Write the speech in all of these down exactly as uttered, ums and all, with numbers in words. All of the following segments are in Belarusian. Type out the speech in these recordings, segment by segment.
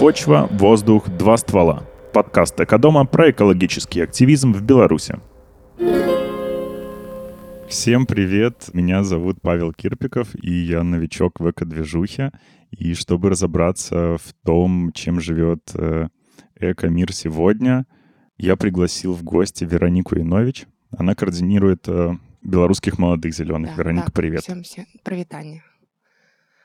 Почва, воздух, два ствола. Подкаст «Экодома» про экологический активизм в Беларуси. Всем привет, меня зовут Павел Кирпиков, и я новичок в эко-движухе. И чтобы разобраться в том, чем живет э, эко-мир сегодня, я пригласил в гости Веронику Янович. Она координирует э, белорусских молодых зеленых. Да, Вероника, так, привет. Всем, всем привітання.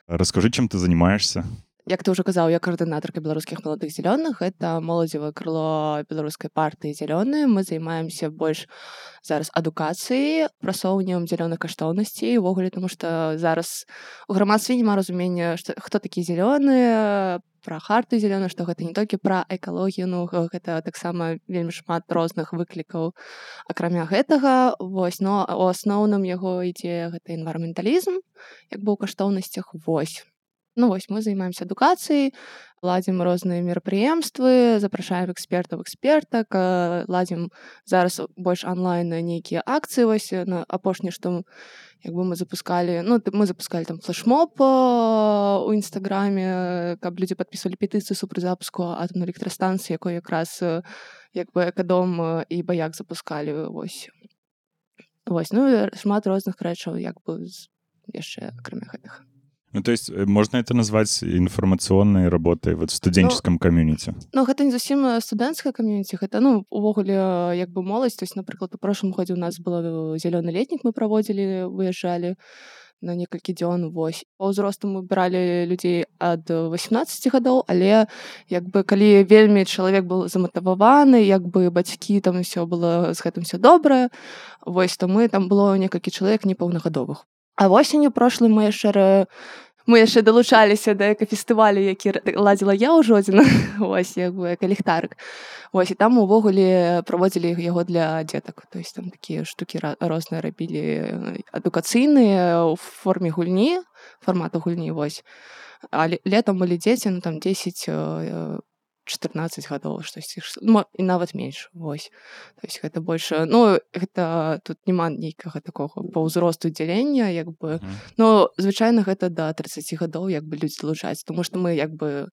Расскажи, чем ты занимаешься. Як ты ўжо казаў, я каардынатарка беларускіх маладых зялёных. Это моладзевае крыло беларускай партыі зялёныя. Мы займаемся больш зараз адукацыяй, прасоўваннем зялёных каштоўнасцей увогуле, тому што зараз у грамадстве няма разумення, што хто такі зялёныя, пра хартыю зялёных, што гэта не толькі пра экалогію, ну гэта таксама вельмі шмат розных выклікаў. Акрамя гэтага, вось, но у асноўным яго ідзе гэта энвайраменталізм, як бы ў каштоўнасцях, вось. Ну вось, мы займаемся адукацыяй, ладзім розныя мерапрыемствы, запрашаем экспертаў, экспертак, ладзім зараз больш онлайн нейкія акцыі. Вось на апошні, што як бы мы запускалі, ну мы запускалі там флешмоб у інстаграме, каб людзі падпісвалі петыцыю супраць запуску атомнай электрастанцыі, якой якраз як бы экадом і баяк запускалі. Вось. Вось, ну і шмат розных рэчаў, як бы яшчэ акрамя гэтых. Ну, то есть можно это назвать информационной работой вот в студенческом ну, комьюнити? Ну, гэта не зусім студэнцкае камьюніці, гэта, ну, увогуле, як бы моладзь. То есть, напрыклад, у прошлым годзе у нас было зялёны летнік, мы праводзілі, выязджалі на некалькі дзён, вось. Па ўзросту мы бралі людзей ад васемнаццаці гадоў, але, як бы, калі вельмі чалавек быў заматываваны, як бы бацькі, там усё было, з гэтым усё добра, вось, то мы, там было некалькі чалавек непаўнагадовых. А восенню прошлым мы яшчэ мы яшчэ далучаліся да экафестывалю, які ладзіла я ў Жодзіна, вось, як бы экаліхтарык. Вось, і там увогуле праводзілі яго для дзетак. То есть там такія штукі розныя рабілі адукацыйныя ў форме гульні, фармату гульні, вось. А летом былі дзеці, ну там дзесяць чатырнаццаць гадоў, штосьці, і нават менш, вось. То есть гэта больш, ну, гэта тут няма нейкага такога па ўзросту дзялення, як бы, mm. ну, звычайна гэта да трыццаці гадоў, як бы, людзі далучаюцца, тому што мы, як бы,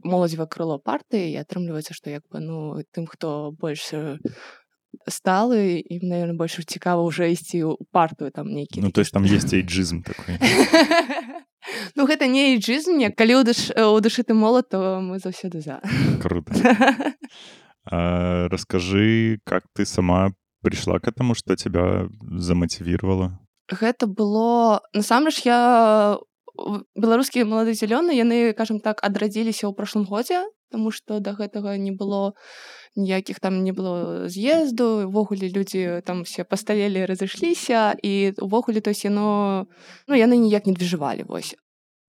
моладзевае крыло партыі, і атрымліваецца, што, як бы, ну, тым, хто больш сталы, ім, наверное, больш цікава ўжо ісці ў партыю, там, нейкі. Ну, то есть там есть эйджизм такой. Ну, гэта не эйджизм, не. Калі ў душы ты молод, то мы заўсёды за. Круто. А, расскажи, как ты сама пришла к этому, что тебя замотивировало? Гэта было... Насамрэч, я... Беларускія маладыя зялёныя, яны, кажам так, адрадзіліся ў прошлым годзе, таму што да гэтага не было ніякіх там не было з'езду, увогуле людзі там все пасталелі, разышліся, і увогуле, то есть яно... Ну, яны ніяк не движывалі, вось.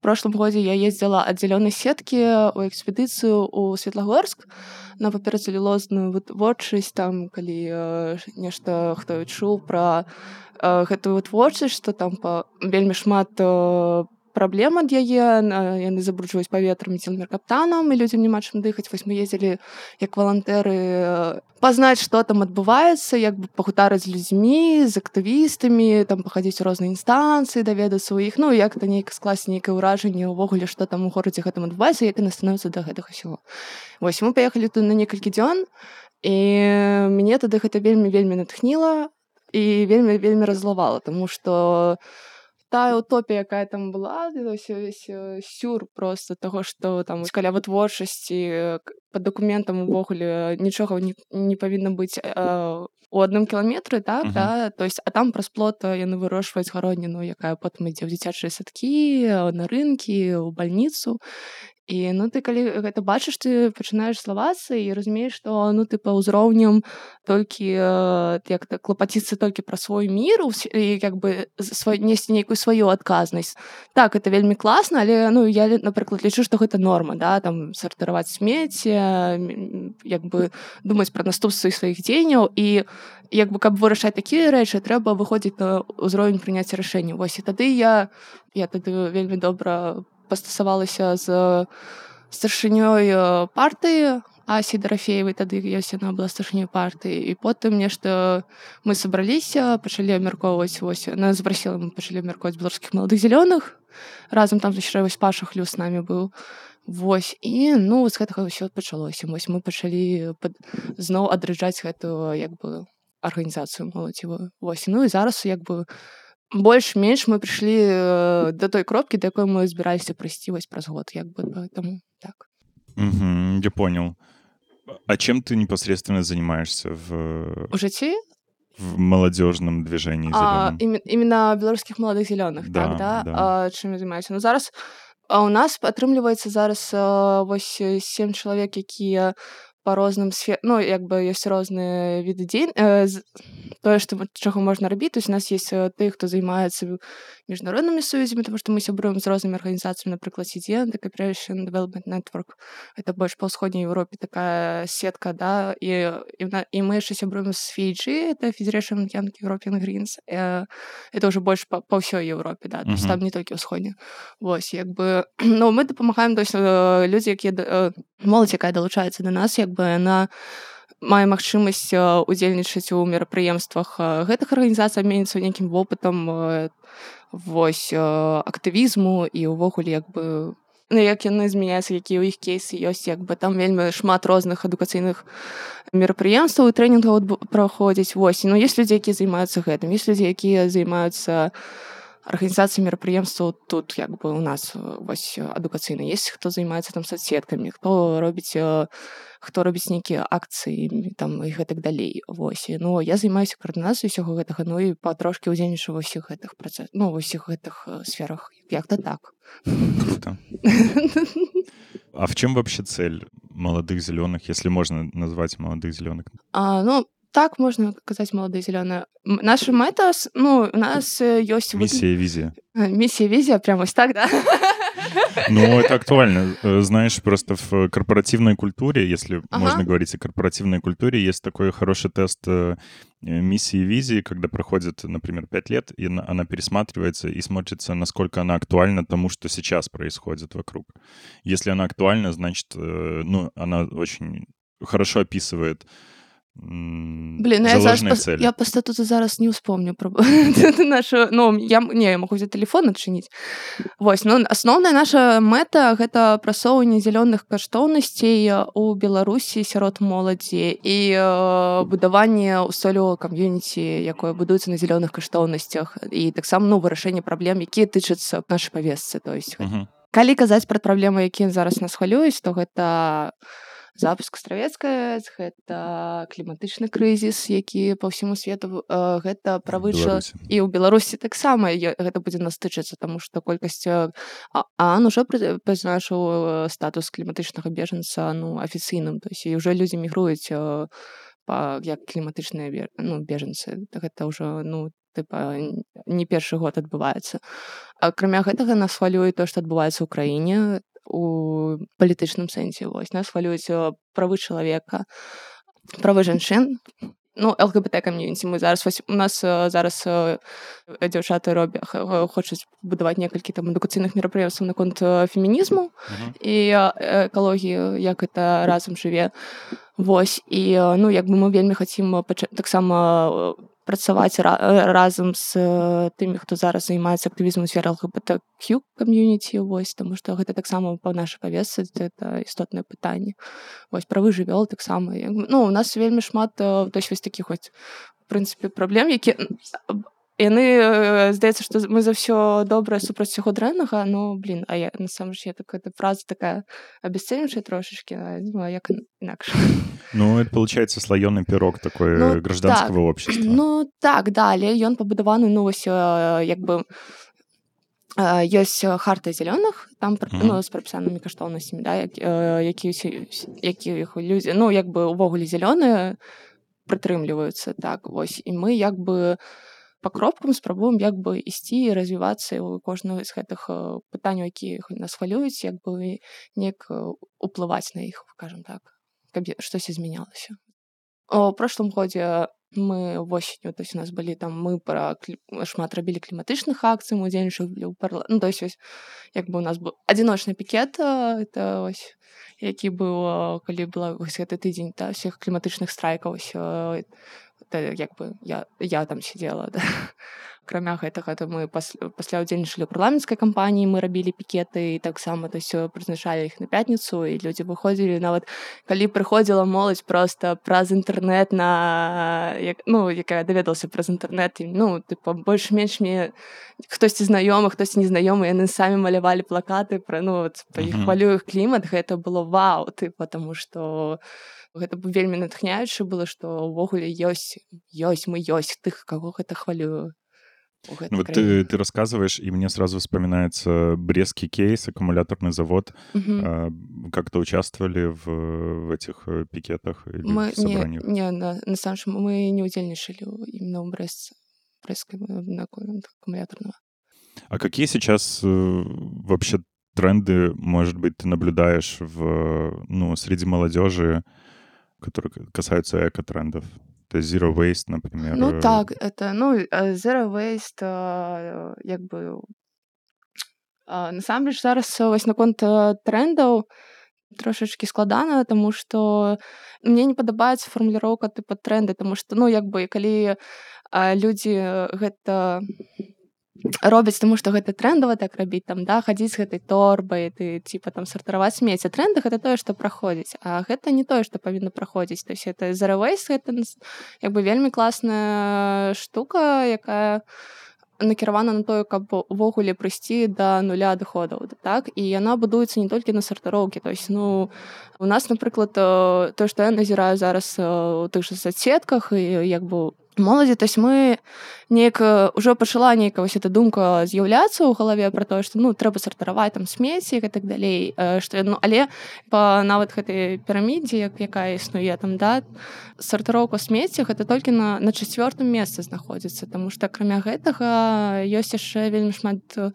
В прошлым годзе я ездзіла ад зялёнай сеткі ў экспедыцыю ў Светлагорск на паперацэлюлозную вытворчасць, там, калі э, нешта хто чуў пра э, гэтую вытворчасць, што там па вельмі шмат э, праблем ад яе, яны забруджваюць паветра метілмеркаптанам, і людзям няма чым дыхаць. Вось мы ездзілі як валантэры пазнаць, што там адбываецца, як бы пагутарыць з людзьмі, з актывістамі, там пахадзіць у розныя інстанцыі, даведацца ў іх, ну, як-то нейка скласці нейкае ўражанне ўвогуле, што там у горадзе гэтым адбываецца, як яны становяцца да гэтага ўсяго. Вось, мы паехалі тут на некалькі дзён, і мяне тады гэта вельмі-вельмі натхніла і вельмі-вельмі раззлавала, таму што тая утопія, якая там была, весь сюр просто таго, што там каля вытворчасці па дакументам увогуле нічога не, не павінна быць э, у адным кіламетры, так, uh-huh. да? То есть, а там праз плот яны вырошчваюць гародніну, якая потым ідзе ў дзіцячыя садкі, на рынкі, у бальніцу. І, ну, ты калі гэта бачыш, ты пачынаеш злавацца і разумееш, што, ну, ты па ўзроўням толькі, як-то клапаціцца толькі пра свой мір і, як бы, свой, несці нейкую сваю адказнасць. Так, гэта вельмі класна, але, ну, я, напрыклад, лічу, што гэта норма, да, там, сартыраваць смецце, як бы, думаць пра наступствы сваіх дзеянняў, і, як бы, каб вырашаць такія рэчы, трэба выходзіць на ўзровень прыняцця рашэнняў. Вось, і тады я, я тады вельмі добра пастасавалася з старшынёй партыі Асі Дарафеевай, тады ёсць яна была старшынёй партыі, і потым нешта мы сабраліся, пачалі абмяркоўваць, вось, она запрасіла, мы пачалі абмяркоўваць беларускіх маладых зялёных, разам там яшчэ вось Паша Хлюс з намі быў, Вось і ну з гэтага ўсё пачалося. Вось мы пачалі пад... зноў адраджаць гэтую як бы арганізацыю моладзевую. Вось ну і зараз як бы больш-менш мы прыйшлі да той кропкі, да якой мы збіраліся прыйсці вось праз год як бы поэтому так. Угу, я понял. А чем ты непосредственно занимаешься в... У жыцці? В молодежном движении А, зеленом? именно белорусских молодых зеленых, да, так, да? да. А, чым я займаюся? Ну зараз а у нас атрымліваецца зараз а, вось сем чалавек, якія па розным сфер... ну як бы ёсць розныя віды дзей... тое, што чаго можна рабіць. То есть у нас есть тыя, хто займаецца міжнароднымі сувязямі, тому што мы сябруем з рознымі арганізацыямі, напрыклад, си ди эн, The Cooperation Development Network. Это больш па ўсходняй Еўропе такая сетка, да, і, і, і мы яшчэ сябруем з эф ай джи, это Federation of Young European Greens. Это ўжо больш па, па ўсёй Еўропе, да, то есть Мгм. там не толькі ўсходня. Вось, як бы, ну, мы дапамагаем, то есть людзі, якія, моладзь, якая далучаецца да нас, як бы яна мае магчымасць удзельнічаць у мерапрыемствах гэтых арганізацый, абменіцца нейкім вопытам вось актывізму і ўвогуле як бы ну, як яны змяняюцца, якія ў іх кейсы ёсць, як бы там вельмі шмат розных адукацыйных мерапрыемстваў і трэнінгаў праходзіць. Вось, ну ёсць людзі, якія займаюцца гэтым, ёсць людзі, якія займаюцца арганізацыі мерапрыемстваў тут як бы у нас вось адукацыйна. Есть хто займаецца там соцсеткамі, хто робіць хто робіць нейкія акцыі там і гэтак далей. Вось. Ну я займаюся каардынацыяй усяго гэтага, ну і патрошкі ўдзельнічаю ва ўсіх гэтых працэсах, ну ва ўсіх гэтых сферах. Як-то так. Круто. А в чем вообще цель молодых зеленых, если можно назвать молодых зеленых? А, ну, так можно сказать, молодые зеленые. Наша мета, ну, у нас есть... Миссия и визия. Миссия и визия, прямо вот так, да? Ну, это актуально. Знаешь, просто в корпоративной культуре, если ага. можно говорить о корпоративной культуре, есть такой хороший тест миссии и визии, когда проходит, например, пять лет, и она пересматривается и смотрится, насколько она актуальна тому, что сейчас происходит вокруг. Если она актуальна, значит, ну, она очень хорошо описывает Блин, ну я, зараз, цели. я по статуту зараз не успомню про нашу, ну, я, не, я могу взять телефон адчыніць. Вось, ну, асноўная наша мэта — гэта прасоўванне зялёных каштоўнасцей у Беларусі сярод моладзі і э, будаванне ўстойлівага кам'юніці, якое будуецца на зялёных каштоўнасцях, і таксама, ну, вырашэнне праблем, якія тычацца нашай павестцы. То есть, uh-huh. калі казаць пра праблемы, якія зараз нас хвалююць, то гэта запуск Астравецкая, гэта кліматычны крызіс, які па ўсяму свету, гэта правы чалавека. І ў Беларусі таксама гэта будзе нас тычыцца, таму што колькасць ААН ужо прызначыў статус кліматычнага бежанца, ну, афіцыйным, то есть і ўжо людзі мігруюць па як кліматычныя, ну, бежанцы. Гэта ўжо, ну, тыпа не першы год адбываецца. Акрамя гэтага нас хвалюе тое, што адбываецца ў краіне у палітычным сэнсе. Вось нас хвалююць правы чалавека, правы жанчын, ну, эл гэ бэ тэ камьюніці. Мы зараз вось, у нас зараз дзяўчаты робяць, хочуць будаваць некалькі там адукацыйных мерапрыемстваў наконт фемінізму uh-huh. і экалогіі, як гэта разам жыве. Вось, і, ну, як бы мы вельмі хацім пача- таксама працаваць разам з тымі, хто зараз займаецца актывізмам у сферы эл гэ бэ тэ кью камьюніці, вось, таму што гэта таксама па нашай павестцы, гэта істотнае пытанне. Вось, правы жывёл таксама. Ну, у нас вельмі шмат, то есть, вось такіх вось, в прынцыпе, праблем, які яны, здаецца, што мы за ўсё добрае супраць усяго дрэннага, ну, блин, а я, насамрэч, я такая фраза такая абясцэньваючая трошечки, ну, а як інакш. Ну, это, получается, слоёный пирог такой ну, гражданского так. общества. Ну, так, да, але ён пабудаваны, ну, вось, як бы, ёсць харта зялёных, там, mm-hmm. ну, з прапісанымі каштоўнасцямі, да, які, які людзі, ну, як бы, увогуле зялёныя прытрымліваюцца, так, вось, і мы, як бы, па кропкам спрабуем як бы ісці і развівацца ў кожнага з гэтых пытанняў, якія нас хвалююць, як бы неяк уплываць на іх, скажем так, каб штось змянялася. У прошлым годзе мы восенню, то есть у нас былі там, мы пра шмат рабілі кліматычных акцый, мы удзельнічалі ў парла... ну, то есть ось, як бы у нас быў адзіночны пікет, это ось, які быў, калі была вось гэты тыдзень, та, ўсіх кліматычных страйкаў, ось, это як бы я, я там сидела, да. Акрамя гэтага, то мы пасля, пасля ўдзельнічалі ў парламенцкай кампаніі, мы рабілі пікеты і таксама то есть, прызначалі іх на пятніцу, і людзі выходзілі, нават калі прыходзіла моладзь проста праз інтэрнэт на як, ну, якая даведалася праз інтэрнэт, і, ну, тыпа, больш-менш мне хтосьці знаёмы, хтосьці незнаёмы, яны самі малявалі плакаты пра, ну, вот, па іх Мгм. хвалю іх клімат, гэта было вау, тыпа, таму што гэта б вельмі натхняюча было, што ўвогуле ёсць, ёсць, мы ёсць тых, каго гэта хвалюе у гэтай Ну, вот краіне. ты, ты рассказываешь, и мне сразу вспоминается Брестский кейс, аккумуляторный завод. Мгм. А, Как-то участвовали в, в этих э, пикетах или Мы в не, собраниях? не на, насамрэч мы не ўдзельнічалі ў- іменно ў Брэст, брэсцкай на аккумуляторного. А какие сейчас э, вообще тренды, может быть, ты наблюдаешь в, ну, среди молодежи, которые к- касаются эко-трендов? То есть Zero Waste, например. Ну э, так, это, ну, э, Zero Waste, а, як бы, а, насамрэч зараз э, вось наконт э, трендаў трошачкі складана, таму што мне не падабаецца фармуліроўка тыпа тренды, таму што, ну, як бы, калі а, людзі гэта робяць, таму што гэта трэндава так рабіць, там, да, хадзіць з гэтай торбай, ты, типа, там, сартаваць смецце. Трэнды — гэта тое, што праходзіць, а гэта не тое, што павінна праходзіць. То есть это Zero Waste, гэта нас- як бы вельмі класная штука, якая накіравана на тое, каб увогуле прыйсці да нуля адыходаў, так? І яна будуецца не толькі на сартыроўкі. То есть, ну, у нас, напрыклад, э, тое, што я назіраю зараз э, у тых жа соцсетках і як бы моладзі, то есть мы неяк э, ўжо пачала нейкая вось эта думка з'яўляцца ў галаве пра тое, што, ну, трэба сартаваць там смецце і так далей, э, што, ну, але па нават гэтай пірамідзе, як, якая існуе там, да, сартыроўка смецця гэта толькі на, на чацвёртым месцы знаходзіцца, таму што акрамя гэтага ёсць яшчэ вельмі шмат э,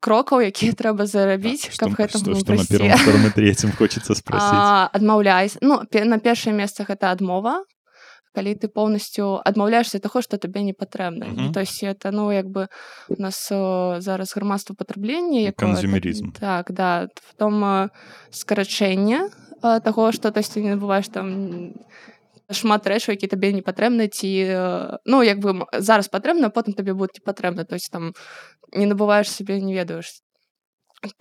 крокаў, якія трэба а зарабіць, что, каб гэтаму что, что на прыйсці. первом, втором и третьем хочется спросить? А, адмаўляйся. Ну, пе- на першае месца гэта адмова, калі ты поўнасцю адмаўляешся ад таго, што табе не патрэбна. Ну, Мгм. то есть это, ну, як бы у нас э, зараз грамадства патрэблення, якое так, Консюмеризм. так, да, потом э, скарачэнне э, таго, што, то есть ты не набываеш там шмат рэчаў, які табе не патрэбны, ці э, ну, як бы м- зараз патрэбна, а потым табе будуць не патрэбна. То есть там не набываеш сабе, не ведаеш.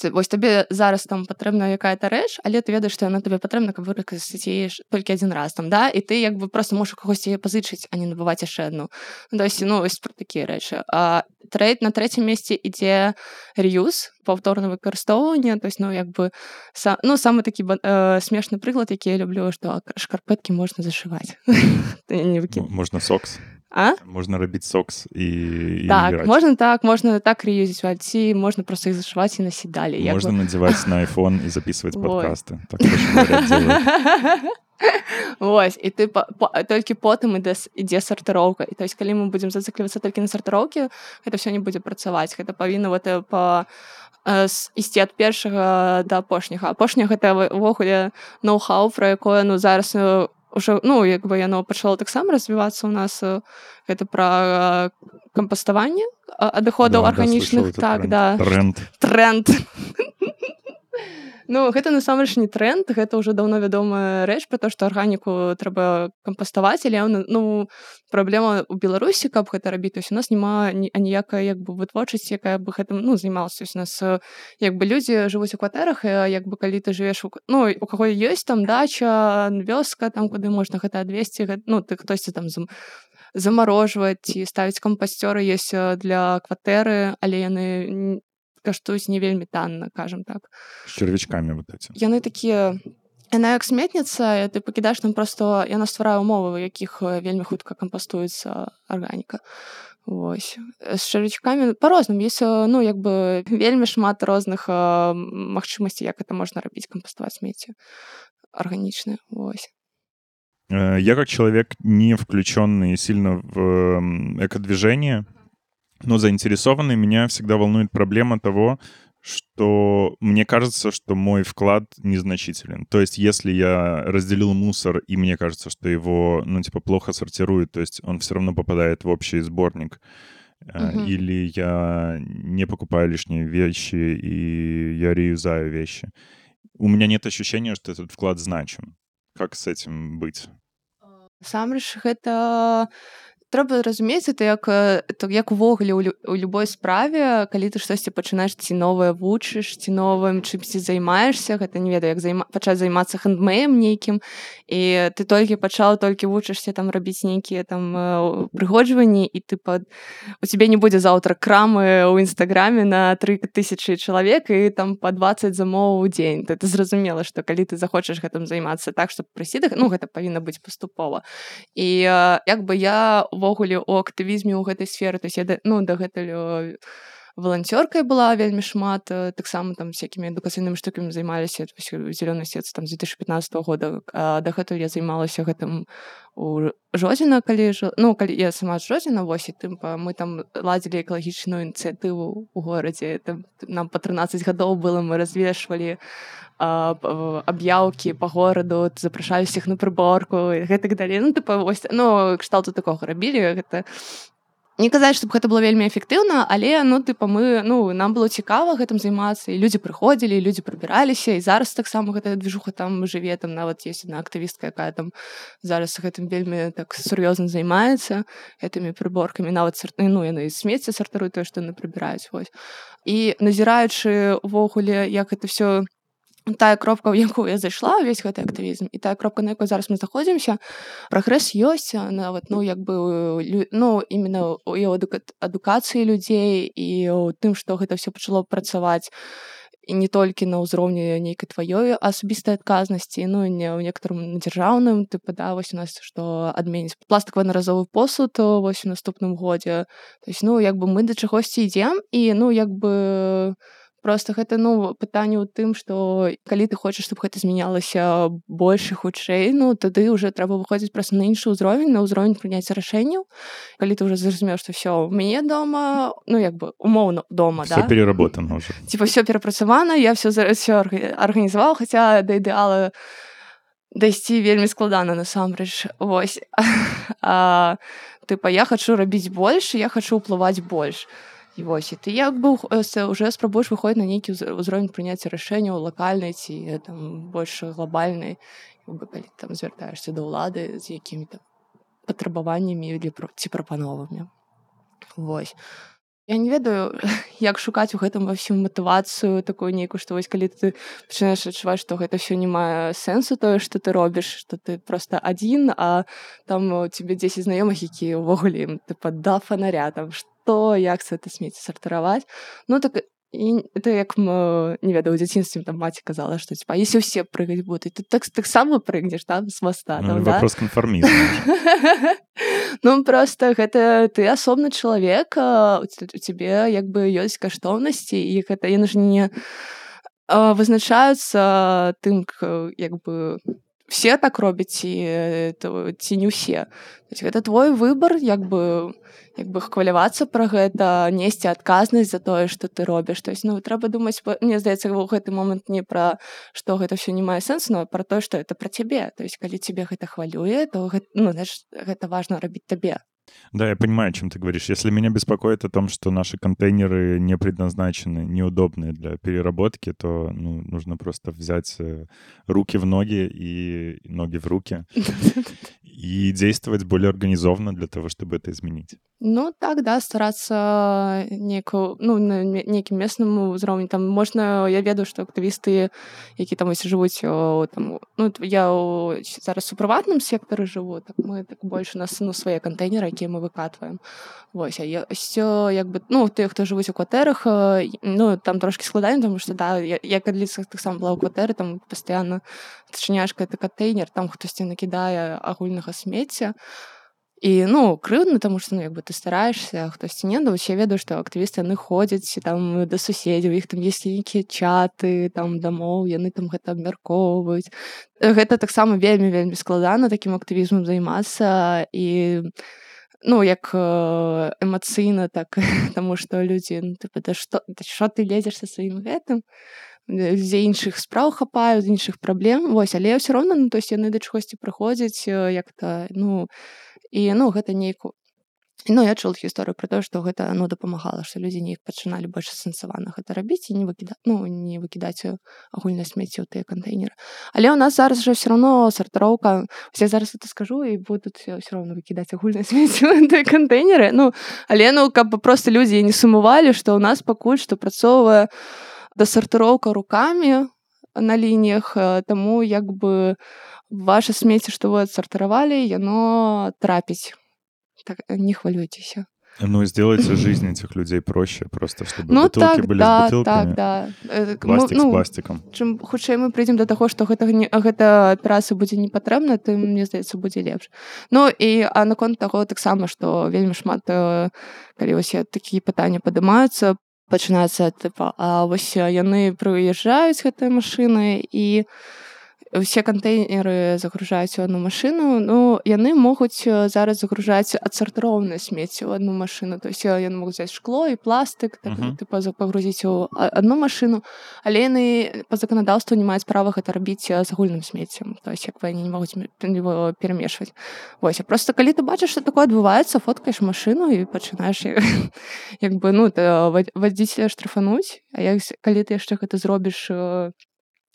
Ты, вось табе зараз там патрэбна якая-то рэч, але ты ведаеш, што яна табе патрэбна, каб выкарыстаць яе ж толькі адзін раз там, да, і ты як бы просто можаш у кагосьці яе пазычыць, а не набываць яшчэ адну. Ну, то есть, ну, вось пра такія рэчы. А трэ- на трэцім месцы ідзе реюз, паўторнае выкарыстоўванне, то есть, ну, як бы са, ну, самы такі ба- э, смешны прыклад, які я люблю, што шкарпэткі можна зашываць. Ты не М- выкід... Можно сокс. А? Можно робить сокс и, и Так, играть. можна так, можна так реюзіць, ці можна просто іх зашываць і насіць далей. Як Можно бы... надевать на iPhone и записывать Вот. подкасты. Так тоже, говорят, делают. Вось, і ты па, па, толькі потым ідзе, с- ідзе сартыроўка. І то есть, калі мы будзем зацыклівацца толькі на сартыроўкі, гэта ўсё не будзе працаваць. Гэта павінна вот, э, па, э, с- ісці ад першага да апошняга. Апошняга гэта вы- увогуле ноу-хау, пра якое, ну, зараз э, уже, ну, як бы яно пачало таксама развівацца ў нас. э, Гэта пра э, кампаставанне а- адыходаў Да, да, слышал арганічных. этот Так, тренд. да. Тренд. Тренд. Ну, гэта насамрэч не тренд, гэта ўжо даўно вядомая рэч пра то, што арганіку трэба кампаставаць, але ну, ну, праблема ў Беларусі, каб гэта рабіць, то есть у нас няма ні- аніякай як бы вытворчасці, якая бы гэтым, ну, займалася. То есть у нас э, як бы людзі жывуць у кватэрах, і як бы калі ты жывеш у, к- ну, у каго ёсць там дача, вёска, там куды можна гэта адвесці, гэ- ну, ты хтосьці там зам, замарожваць ці ставіць кампасцёры ёсць э, для кватэры, але яны н- каштуюць не вельмі танна, кажам так. С червячками вот этим. Яны такія, яна як сметніца, і ты пакідаеш там просто, яна стварае умовы, у якіх э, вельмі хутка кампастуецца арганіка. Вось. З чарвячкамі па-рознаму. Ёсць, э, ну, як бы вельмі шмат розных э, магчымасцей, як гэта можна рабіць, кампаставаць смецце арганічнае. Вось. Э, Я как человек, не включенный сильно в м, экодвижение, но заинтересованный, меня всегда волнует проблема того, что мне кажется, что мой вклад незначителен. То есть если я разделил мусор, и мне кажется, что его, ну, типа, плохо сортируют, то есть он все равно попадает в общий сборник, э, Мгм. или я не покупаю лишние вещи, и я реюзаю вещи, у меня нет ощущения, что этот вклад значим. Как с этим быть? Насамрэч гэта трэба разумець, это як это як увогуле ў, лю, у любой справе, калі ты штосьці пачынаеш ці новае вучыш, ці новым чымсьці займаешся, гэта не ведаю, як займа, пачаць займацца хэндмэем нейкім, і ты толькі пачаў, толькі вучышся там рабіць нейкія там упрыгоджванні, і ты па... у цябе не будзе заўтра крамы ў інстаграме на тры тысячы чалавек і там па дваццаць замоў у дзень. Ты, ты зразумела, што калі ты захочаш гэтым займацца так, што прыйсці, ну гэта павінна быць паступова. І як бы я увогуле у актывізме ў гэтай сферы, то есть я ну дагэтуль валанцёркай была вельмі шмат, таксама там всякімі адукацыйнымі штукамі займаліся зелёнай сетцы там з две тысячи пятнадцатого года, а дагэтуль я займалася гэтым у Жодзіна, калі ну калі я сама з Жодзіна, вось, і тым мы там ладзілі экалагічную ініцыятыву ў горадзе, там нам па трынаццаць гадоў было, мы развешвалі аб'яўкі па гораду, запрашалі ўсіх на прыборку і гэтак далей. Ну тыпа вось, ну кшталту такога рабілі. Гэта не казаць, чтобы гэта было вельмі эфектыўна, але ну тыпа мы, ну нам было цікава гэтым займацца, і людзі прыходзілі, і людзі прыбіраліся, і зараз таксама гэта движуха там жыве, там нават ёсць адна актывістка, якая там зараз гэтым вельмі так сур'ёзна займаецца гэтымі прыборкамі, нават ну яны смецце сартаруюць тое, што яны прыбіраюць, вось. І назіраючы увогуле, як гэта все тая кропка, у якую я зайшла, увесь гэты актывізм, і тая кропка, на якой зараз мы знаходзімся, прагрэс ёсць, нават, ну, як бы, ну, іменно і ў адукацыі людзей, і ў тым, што гэта все пачало працаваць, і не толькі на ўзроўні нейкай тваёй асабістай адказнасці, ну, і не ў некаторым дзяржаўным, тыпа, да, вось у нас, што адменіць пластыкавы аднаразовы посуд вось у наступным годзе. То есть, ну, як бы мы да чагосьці ідзем, і, ну, як бы просто гэта, ну, пытанне ў тым, што калі ты хочаш, чтобы гэта змянялася больш і хутчэй, ну, тады ўжо трэба выходзіць проста на іншы ўзровень, на ўзровень прыняцця рашэнняў. Калі ты ўжо зразумеў, што ўсё, у мяне дома, ну, як бы, умоўна, дома, всё да? Всё переработано ўжо. Типа, ўсё перапрацавана, я ўсё, ўсё арганізаваў, хаця да ідэала дайсці вельмі складана, насамрэч. Вось. А, тыпа, я хачу рабіць больш, я хачу ўплываць больш. І вось, і ты як бы уже спрабуеш выходзіць на нейкі ўзровень прыняцця рашэнняў лакальнай ці там больш глобальнай, калі там звяртаешся да ўлады з якімі там патрабаваннямі ці прапановамі. Вось. Я не ведаю, як шукаць у гэтым ва ўсім матывацыю такую нейкую, што вось калі ты пачынаеш адчуваць, што гэта ўсё не мае сэнсу тое, што ты робіш, што ты проста адзін, а там у цябе дзесяць знаёмых, якія ўвогуле ім тыпа да фанаря, там што, як це смецце сартыраваць. Ну так і это як, не ведаю, у дзяцінстве там маці казала, што типа, если ўсе прыгаць будуць, ты так, так само прыгнеш там з моста. Ну, там, вопрос да? Конформизма. Ну, просто гэта ты асобны чалавек, у цябе як бы ёсць каштоўнасці, і гэта яны ж не вызначаюцца тым, як бы все так робяць, ці, ці не ўсе. Гэта твой выбар, як бы, як бы хвалявацца пра гэта, несці адказнасць за тое, што ты робіш. То есть, ну, трэба думаць, мне здаецца, ў гэты момант не пра што гэта ўсё не мае сэнсу, но пра тое, што это пра цябе. То есть, калі цябе гэта хвалюе, то гэта, ну, знаешь, гэта важна рабіць табе. Да, я понимаю, о чем ты говоришь. Если меня беспокоит о том, что наши контейнеры не предназначены, неудобные для переработки, то ну, нужно просто взять руки в ноги и ноги в руки и действовать более организованно для того, чтобы это изменить. Ну, так, да, старацца нейку, ну, на нейкім месным узроўні. Там можна, я ведаю, што актывісты, які там ось жывуць, о, там, ну, я о, зараз у прыватным сектары жыву, так мы так больш у нас, ну, свае кантэйнеры, якія мы выкатваем. Вось, а ёсць, як бы, ну, тыя, хто жывуць у кватэрах, ну, там трошкі складаней, тому што, да, я, я калі таксама была ў кватэры, там пастаянна адчыняеш гэты кантэйнер, там хтосьці накідае агульнага смецця. І, ну, крыўдна, таму што, ну, як бы ты стараешся, а хтосьці не, да, я ведаю, што актывісты, яны ходзяць там да суседзяў, іх там ёсць нейкія чаты, там, дамоў, яны там гэта абмяркоўваюць. Гэта таксама вельмі-вельмі складана такім актывізмам займацца, і, ну, як эмацыйна, так, таму што людзі, ну, тыпа, да што, да што ты лезеш са сваім гэтым? Дзе іншых спраў хапаюць, іншых праблем, вось, але ўсё роўна, ну, то есть яны да чагосьці прыходзяць, як-то, ну, і, ну, гэта нейку Ну, я чула гісторыю пра тое, што гэта ну, дапамагала, што людзі неяк пачыналі больш асэнсавана гэта рабіць і не выкідаць ну, не выкідаць агульнае смецце ў тыя кантэйнеры. Але ў нас зараз жа ўсё роўно сартыроўка. Я зараз это скажу і будуць ўсё роўно выкідаць агульнае смецце ў тыя кантэйнеры. Ну, але ну, каб проста людзі не сумавалі, што ў нас пакуль што працоўвае дасартыроўка рукамі на лініях, таму як бы ваша смецце, што вы адсартыравалі, яно трапіць. Так, не хвалюйтесь. Ну, и сделайте жизнь этих людей проще, просто чтобы ну, бутылки так, были да, с бутылками, так, да. пластик ну, с пластиком. Чым хутчэй мы прыйдзем да таго, што гэта, гэта аперацыя будзе не патрэбна, тым, мне здаецца, будзе лепш. Ну, і а наконт таго таксама, што вельмі шмат, калі вось такія пытанні падымаюцца, пачынаецца, тыпа, а вось яны прыязджаюць гэтыя машыны і усе кантэйнеры загружаюць у одну машыну, ну, яны могуць зараз загружаць адсартыроўнае смецце ў одну машыну. То есть яны могуць взяць шкло і пластык, так, uh-huh. тыпа, пагрузіць у одну машыну, але яны па заканадаўству не маюць права гэта рабіць з агульным смеццем. То есть як бы яны не могуць его перамешваць. Вось, а просто калі ты бачыш, што такое адбываецца, фоткаеш машыну і пачынаеш як бы, ну, вадзіцеля штрафануць, а як, калі ты яшчэ гэта зробіш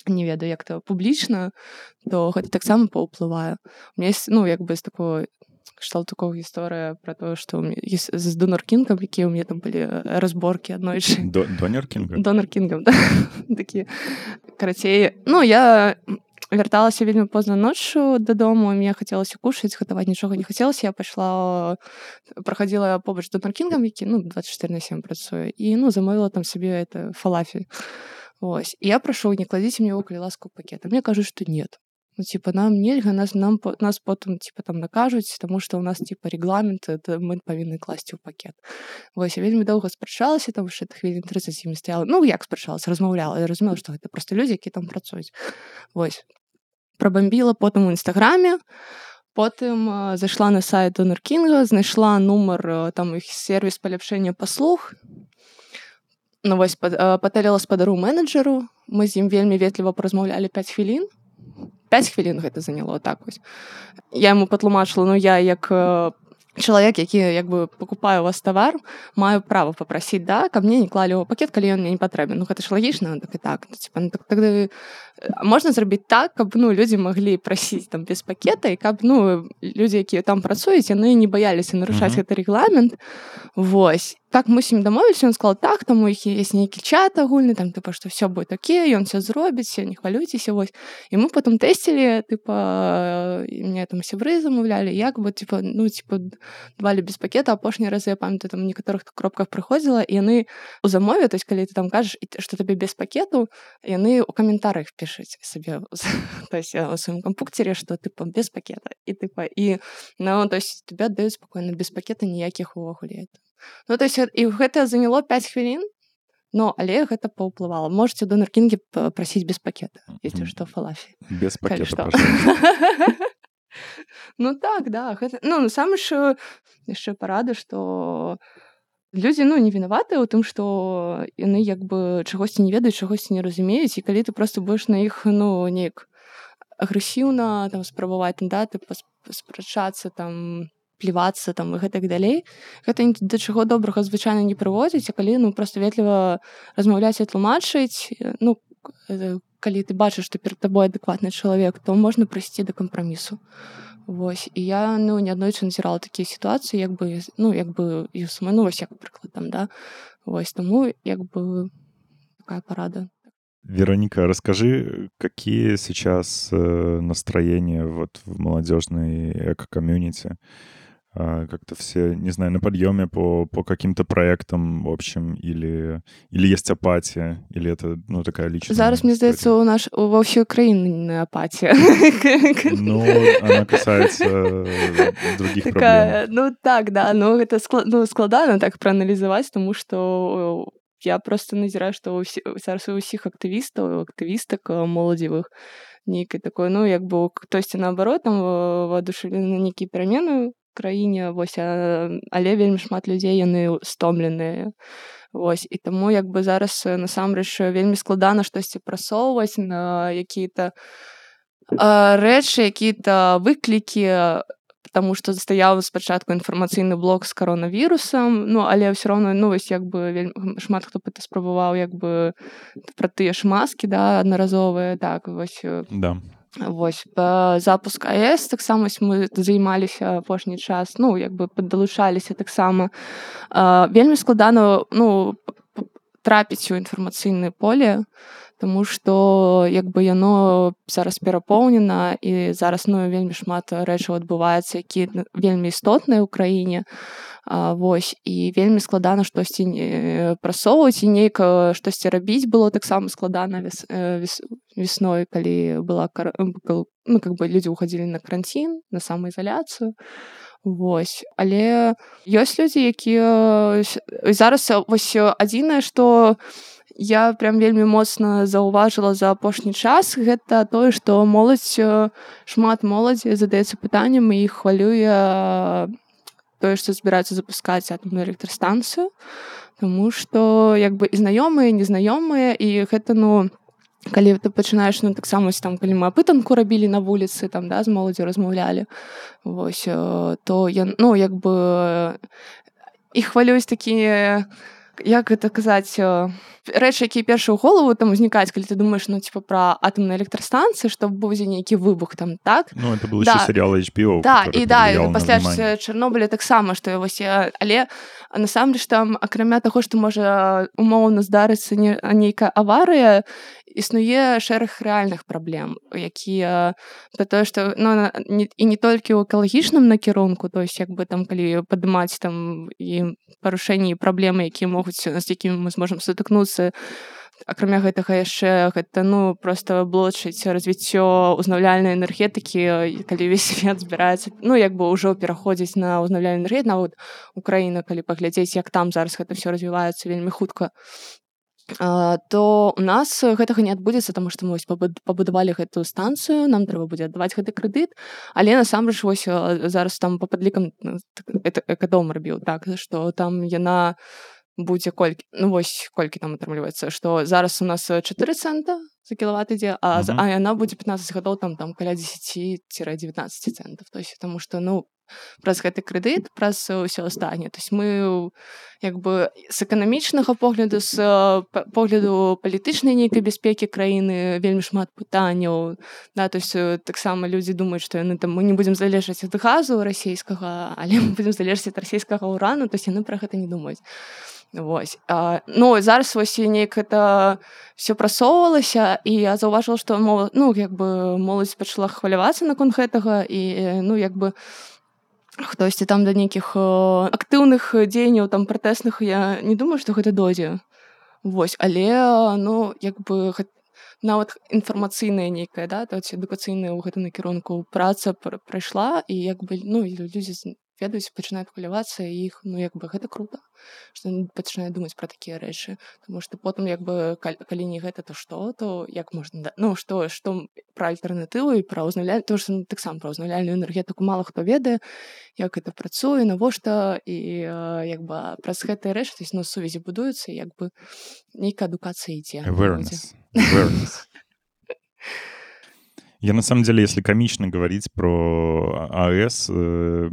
не ведаю, як то публічна, то гэта таксама паўплывае. У меня есть, ну, як бы з такой кшталт такого гісторыя пра тое, што з Донор Кінгам, якія ў мяне там былі разборкі аднойчы. Донор Кінгам? Донор Кінгам, да. Такі, карацей, ну, я вярталася вельмі позна ноччу дадому, і мне хацелася кушаць, гатаваць нічога не хацелася. Я пайшла, прахадзіла побач з Донор Кінгам, які, ну, дваццаць чатыры на сем працуе, і, ну, замовіла там сабе это фалафель. Ось. І я прашу, не кладзіце мне его, калі ласка, ў пакет. А мне кажуць, што нет. Ну, типа, нам нельга, нас, нам, нас потым, типа, там накажуць, таму што ў нас, типа, рэгламент, это мы павінны класці ў пакет. Вось, я вельмі доўга спрачалася, там што хвілін трыццаць з імі стаяла. Ну, як спрачалася, размаўляла. Я разумела, што гэта проста людзі, якія там працуюць. Вось. Прабамбіла потым у інстаграме, потым зайшла на сайт Донор Кінга, знайшла нумар, там, іх сервіс паляпшэння паслуг. Ну, вось, патэліла спадару менеджеру, мы з ім вельмі ветліва паразмаўлялі пяць хвілін. пяць хвілін гэта заняло, так вось. Я яму патлумачыла, ну, я як чалавек, які, як бы, пакупаю у вас тавар, маю права папрасіць, да, каб мне не клалі ў пакет, калі ён мне не патрэбен. Ну, гэта ж лагічна, так і так. Ну, типа, ну, так, тогда можна зрабіць так, каб, ну, людзі маглі прасіць там без пакета, і каб, ну, людзі, якія там працуюць, яны не баяліся нарушаць uh-huh. гэты рэгламент. Вось. Так мы з ім дамовіліся, ён сказал, так, там у іх есть нейкі чат агульны, там, типа, што все будет окей, ён все зробіць, не хвалюйцеся, вось. І мы потом тесцілі, типа, мне там сябры замовлялі, як бы, типа, ну, типа, давалі без пакета. Апошні раз, я памятаю, там, у некаторых кропках прыходзіла, і яны у замове, то есть, калі ты там кажаш, што табе без пакету, яны ў каментарыях пішуць сабе, то есть, у сваім кампукцеры, што, типа, без пакета. І, типа, і, ну, то есть, тебе аддаюць спакойна, без пакета ніякіх увогуле. Ну, то есть, і гэта заняло пяць хвілін, но, але гэта паўплывала. Можете у Донор Кінге прасіць без пакета, если што, фалафель. Без пакета, пожалуйста. Ну, так, да. Гэта, ну, сам яшчэ, яшчэ парада, што людзі, ну, не вінаватыя ў тым, што яны, як бы, чагосьці не ведаюць, чагосьці не разумеюць, і калі ты проста будзеш на іх, ну, неяк агрэсіўна, там, спрабаваць, да, ты спрачацца, там, плівацца там і гэтак далей. Гэта ні да чаго добрага звычайна не прыводзіць, а калі, ну, проста ветліва размаўляць і тлумачыць, ну, калі ты бачыш, што перад табой адэкватны чалавек, то можна прыйсці да кампрамісу. Вось. І я, ну, неаднойчы назірала такія сітуацыі, як бы, ну, як бы, і сама, ну, вось, як прыклад там, да. Вось, таму, як бы, такая парада. Вероника, расскажи, какие сейчас настроения вот в молодежной эко-комьюнити? Как-то все, не знаю, на подъеме по, по каким-то проектам, в общем, или, или есть апатия, или это, ну, такая личная... Зараз, мне здаецца, у наш, во всей Украине апатия. Ну, она касается других такая, проблем. Ну, так, да, ну, это склад, ну, складана так проанализовать, потому что я просто назіраю, што зараз у ўсіх актывістаў, актывістак моладзевых нейкай такой, ну, як бы хтосьці наоборот, там воодушевлены на нейкія перамены ў краіне, вось, але вельмі шмат людзей, яны стомленыя. Вось, і таму, як бы зараз насамрэч вельмі складана штосьці прасоўваць на якія-то рэчы, якія-то выклікі, потому што стаяў спачатку інфармацыйны блок з каронавірусам, ну але ўсё роўно, ну вось як бы вельмі шмат хто гэта спрабаваў як бы пра тыя ж маскі, да, аднаразовыя, так, вось. Да. Вось, па запуск АЭС таксама мы займаліся апошні час, ну, як бы паддалучаліся таксама. Вельмі складана, ну, трапіць у інфармацыйнае поле, тому што як бы яно зараз перапоўнена і зараз ну вельмі шмат рэчаў адбываецца, які вельмі істотныя ў краіне. А, вось і вельмі складана штосьці прасоўваць і нейк штосьці рабіць было таксама складана вес, вес, весной, калі была ну как бы людзі ўхадзілі на каранцін, на самаізаляцыю. Вось, але ёсць людзі, якія зараз вось адзінае, што я прям вельмі моцна заўважыла за апошні час, гэта тое, што моладзь, шмат моладзі задаецца пытаннем і іх хвалюе тое, што збіраюцца запускаць атамную электрастанцыю, таму што як бы і знаёмыя, і незнаёмыя, і гэта, ну, калі ты пачынаеш, ну, таксама, там, калі мы апытанку рабілі на вуліцы, там, да, з моладзю размаўлялі, вось, то я, ну, як бы іх хвалююць такія, як гэта казаць, рэчы, якія першыя ў голову там узнікаюць, калі ты думаеш, ну, типа, пра атамныя электрастанцыі, што будзе нейкі выбух там, так? Ну, это был да. еще сериал эйч би о, да, і да, і пасля внимание. Чарнобыля таксама, што вось, але насамрэч там, акрамя таго, што можа умоўна здарыцца не, нейкая аварыя, існуе шэраг рэальных праблем, якія пра тое, што ну, не, і не толькі ў экалагічным накірунку, то есть як бы там калі падымаць там і парушэнні і праблемы, якія могуць, з якімі мы зможам сутыкнуцца, акрамя гэтага яшчэ гэта ну проста блочыць развіццё ўзнаўляльнай энергетыкі, калі ўвесь свет збіраецца, ну як бы ўжо пераходзіць на ўзнаўляльную энергетыку, нават Украіна, калі паглядзець, як там зараз гэта ўсё развіваецца вельмі хутка, то у нас гэтага не адбудзецца, таму што мы пабудавалі гэтую станцыю, нам трэба будзе аддаваць гэты крэдыт, але насамрэч вось зараз там па падлікам экадом рабіў так, што там яна будзе колькі, ну вось колькі там атрымліваецца, што зараз у нас чатыры цэнта за кілават ідзе, а, uh-huh. а яна будзе пятнаццаць гадоў там, там каля дзесяць-дзевятнаццаць цэнтаў, то есть таму што ну праз гэты крэдыт, праз ўсё астатняе. То есть мы як бы з эканамічнага погляду, з погляду палітычнай нейкай бяспекі краіны вельмі шмат пытанняў. Да, то есть таксама людзі думаюць, што яны там мы не будзем залежаць ад газу расійскага, але мы будзем залежаць ад расійскага ўрану, то есть яны пра гэта не думаюць. Вось. А, ну, зараз вось неяк это все прасоўвалася, і я заўважыла, што моладзь, ну, як бы моладзь пачала хвалявацца наконт гэтага, і ну, як бы хтосьці там да нейкіх актыўных дзеянняў там пратэсных, я не думаю, што гэта дойдзе. Вось, але ну, як бы нават інфармацыйная нейкая, да, то адукацыйная ў гэтым накірунку праца прайшла, і як бы ну, людзі ведаюць, пачынаюць хвалявацца, і іх, ну, як бы гэта круто, што яны пачынаюць думаць пра такія рэчы, таму што потым, як бы, калі не гэта, то што, то як можна, ну, што, што пра альтэрнатыву і пра ўзнаўляльную, тому што таксама пра ўзнаўляльную энергетыку мала хто ведае, як гэта працуе, навошта, і як бы праз гэтыя рэчы, то есть, ну, сувязі будуюцца, як бы нейкая адукацыя ідзе. Awareness. Awareness. Я, на самом деле, если комично говорить про АЭС, э,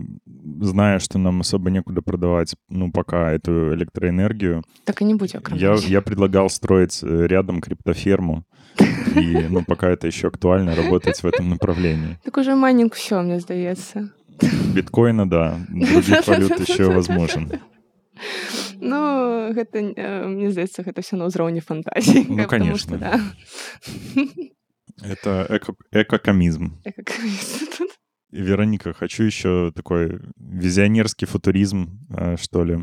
зная, что нам особо некуда продавать, ну, пока эту электроэнергию... Так и не будь я, я предлагал строить рядом криптоферму, и, ну, пока это еще актуально, работать в этом направлении. Так уже майнинг все, мне сдается. Биткоина, да. Других валют еще возможен. Ну, гэта, мне здаецца, гэта все на ўзроўні фантазіі. Ну, конечно. Что, да. Это эко- экокомизм. Экокомизм. Вероника, хочу еще такой визионерский футуризм, что ли.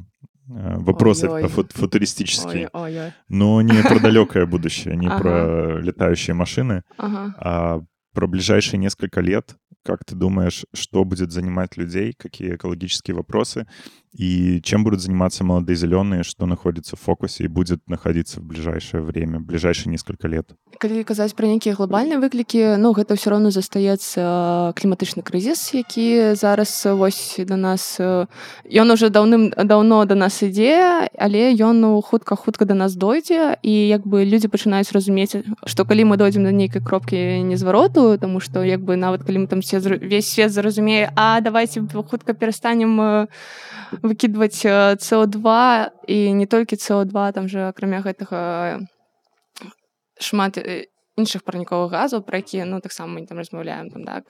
Вопросы фу- футуристические. Ой-ой. Но не про далекое будущее, не ага. про летающие машины, ага. а про ближайшие несколько лет. Как ты думаешь, что будет занимать людей, какие экологические вопросы? И чем будут заниматься молодые зеленые, что находится в фокусе и будет находиться в ближайшее время, в ближайшие несколько лет? Калі казаць пра нейкія глобальныя выклікі, ну гэта ўсё роўно застаецца кліматычны крызіс, які зараз вось да нас, ён уже даўным-даўно да нас ідзе, але ён ну, хутка-хутка да нас дойдзе, і як бы людзі пачынаюць разумець, што калі мы дойдзем да нейкай кропкі незвароту, таму што як бы нават калі мы там все, весь свет зразумее, а давайте хутка перастанем выкідваць С О два, і не толькі С О два, там же акрамя гэтага шмат іншых парніковых газаў, пра якія ну таксама мы там размаўляем там так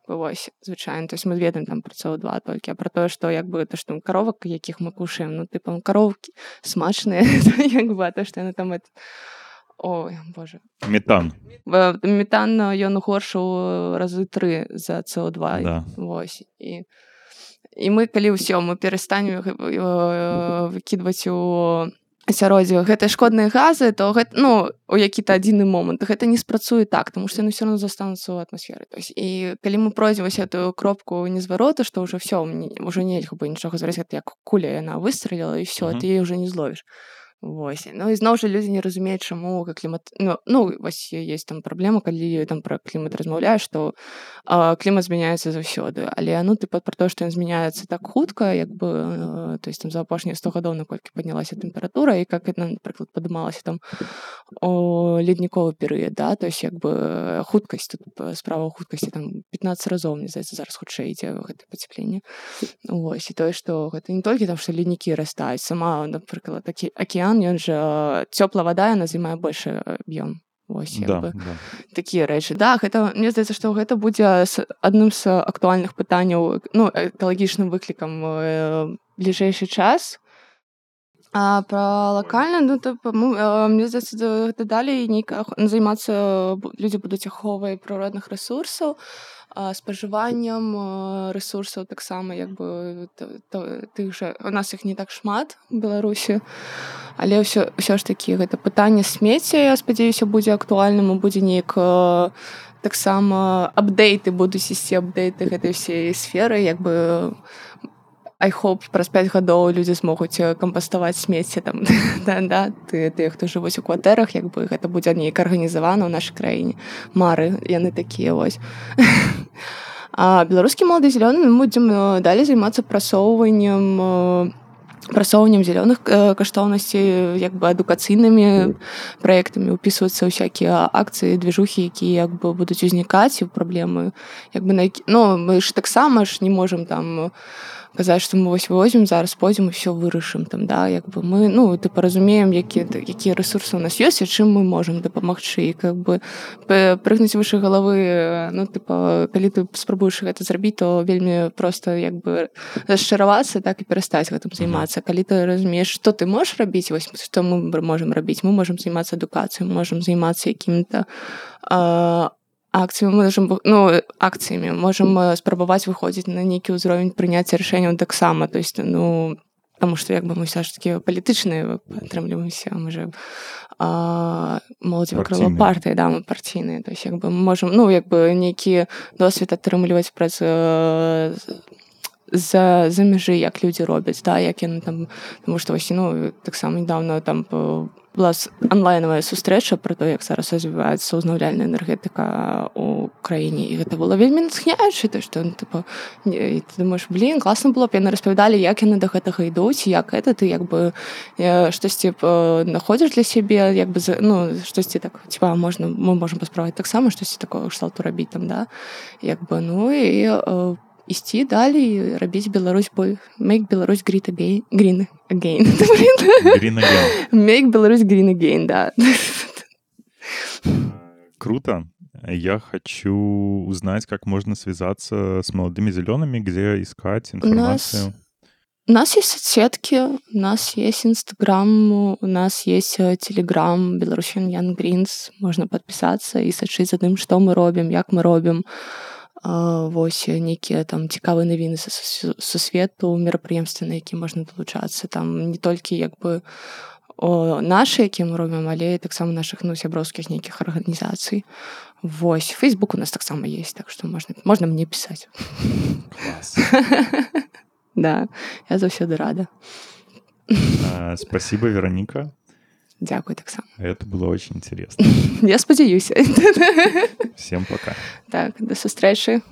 вось звычайна, то есть мы ведаем там пра С О два толькі, а пра тое, што як бы то што каровак, якіх мы кушаем, ну тыпа каровкі смачныя, як бы, а то што яны там это... Ой, боже. Метан. Метан ён горшы ў разы тры за С О два. Да. Вось. І і мы калі ўсё мы перастанем выкідваць у асяроддзе гэтыя шкодныя газы, то гэта, ну, у які-то адзіны момант гэта не спрацуе так, тому што яны ўсё роўно застануцца ў атмасферы. То есть, і калі мы пройдзем вось эту кропку незварота, што ўжо ўсё, ўжо нельга бы нічога зварыць, гэта як куля яна выстраліла, і ўсё, Мгм. ты яе ўжо не зловіш. Вось. Ну і зноў жа людзі не разумеюць, чаму клімат... Ну, ну вось ёсць там праблема, калі там пра клімат размаўляеш, што э, клімат змяняецца заўсёды. Але ну тыпа пра тое, што ён змяняецца так хутка, як бы э, то есть там за апошнія сто гадоў наколькі паднялася тэмпература і как яна, напрыклад, падымалася там у ледніковы перыяд, да, то есть як бы хуткасць тут справа ў хуткасці там пятнаццаць разоў, мне здаецца, зараз хутчэй ідзе гэта пацяпленне. Вось. І тое, што гэта не толькі там, што леднікі растаюць, сама, напрыклад, такі акіян, ён жа цёплая вада, яна займае большы аб'ём. Вось, як Да, бы да. такія рэчы. Да, гэта, мне здаецца, што гэта будзе с- адным з актуальных пытанняў, ну, экалагічным выклікам э, бліжэйшы час. А пра лакальна, ну, то, па-мо- э, мне здаецца, да- гэта далей нейка ах- займацца бу- людзі будуць аховай прыродных рэсурсаў, а, спажываннем э, рэсурсаў таксама, як бы т- т- тых жа, у нас іх не так шмат у Беларусі, але ўсё, ўсё ж такі гэта пытанне смецця, я спадзяюся, будзе актуальным, і будзе неяк э, таксама апдейты будуць ісці, апдейты гэтай всей сферы, як бы I hope праз пяць гадоў людзі змогуць э, кампаставаць смецце там, да, да, ты, тыя, хто жывуць у кватэрах, як бы гэта будзе неяк арганізавана ў нашай краіне. Мары, яны такія вось. А беларускі малады зялёны мы будзем э, далей займацца прасоўваннем э, прасоўваннем зялёных э, каштоўнасцей, як бы адукацыйнымі праектамі, упісвацца ў всякія акцыі, движухі, якія як бы будуць узнікаць, і праблемы, як бы на які... Ну, мы ж таксама ж не можам там казаць, што мы вось возьмем, зараз пойдзем і ўсё вырашым там, да, як бы мы, ну, тыпа разумеем, які, якія рэсурсы ў нас ёсць і чым мы можам дапамагчы, і как бы п- прыгнуць выше галавы, ну, тыпа, калі ты спрабуеш гэта зрабіць, то вельмі проста як бы расчаравацца, так і перастаць гэтым займацца. Калі ты разумееш, што ты можаш рабіць, вось што мы можам рабіць, мы можам займацца адукацыяй, мы можам займацца якімі-то а, акцыямі, мы можам, ну, акцыямі, можам э, спрабаваць выходзіць на нейкі ўзровень прыняцця рашэнняў таксама, то есть, ну, таму што як бы мы ўсё ж такі палітычныя атрымліваемся, мы же а, моладзевае крыло Партійныя. партыі, да, мы партійныя, то есть як бы мы можам, ну, як бы нейкі досвед атрымліваць праз э, за, за мяжы, як людзі робяць, да, як яны там, таму што вось, ну, таксама недавно там э, была с- онлайновая сустрэча пра то, як зараз развіваецца ўзнаўляльная энергетыка ў краіне, і гэта было вельмі натхняюча, то што, ну, типа, не- і ты думаеш, блін, класна было б, яны распавядалі, як яны да гэтага ідуць, як гэта, ты як бы э, штосьці э, знаходзіш для сябе, як бы, за- ну, штосьці так, типа, можна, мы можам паспрабаваць таксама штосьці такого кшталту рабіць там, да, як бы, ну, і э, ісці далей, рабіць Беларусь бой, make Беларусь great again, green again, блин. Green again. Make Беларусь green again, да. Круто. Я хочу узнать, как можно связаться с молодыми зелеными, где искать информацию. У нас есть соцсетки, у нас есть Инстаграм, у нас есть э, Телеграм, Belarusian Young Greens, можно подписаться и сачыць за тым, што мы робім, як мы робім. А, вось нейкія там цікавыя навіны са су- сусвету, мерапрыемствы, на які можна далучацца. Там не толькі як бы о, нашы, якія мы робім, але і таксама нашых, ну, сяброўскіх нейкіх арганізацый. Вось, Фейсбук у нас таксама есть, так што можна, можна мне пісаць. Класс. Да, я заўсёды рада. А, спасибо, Вероника. Дзякуй таксама. Это было очень интересно. Я спадзяюся. Всем пока. Так, да сустрэчы.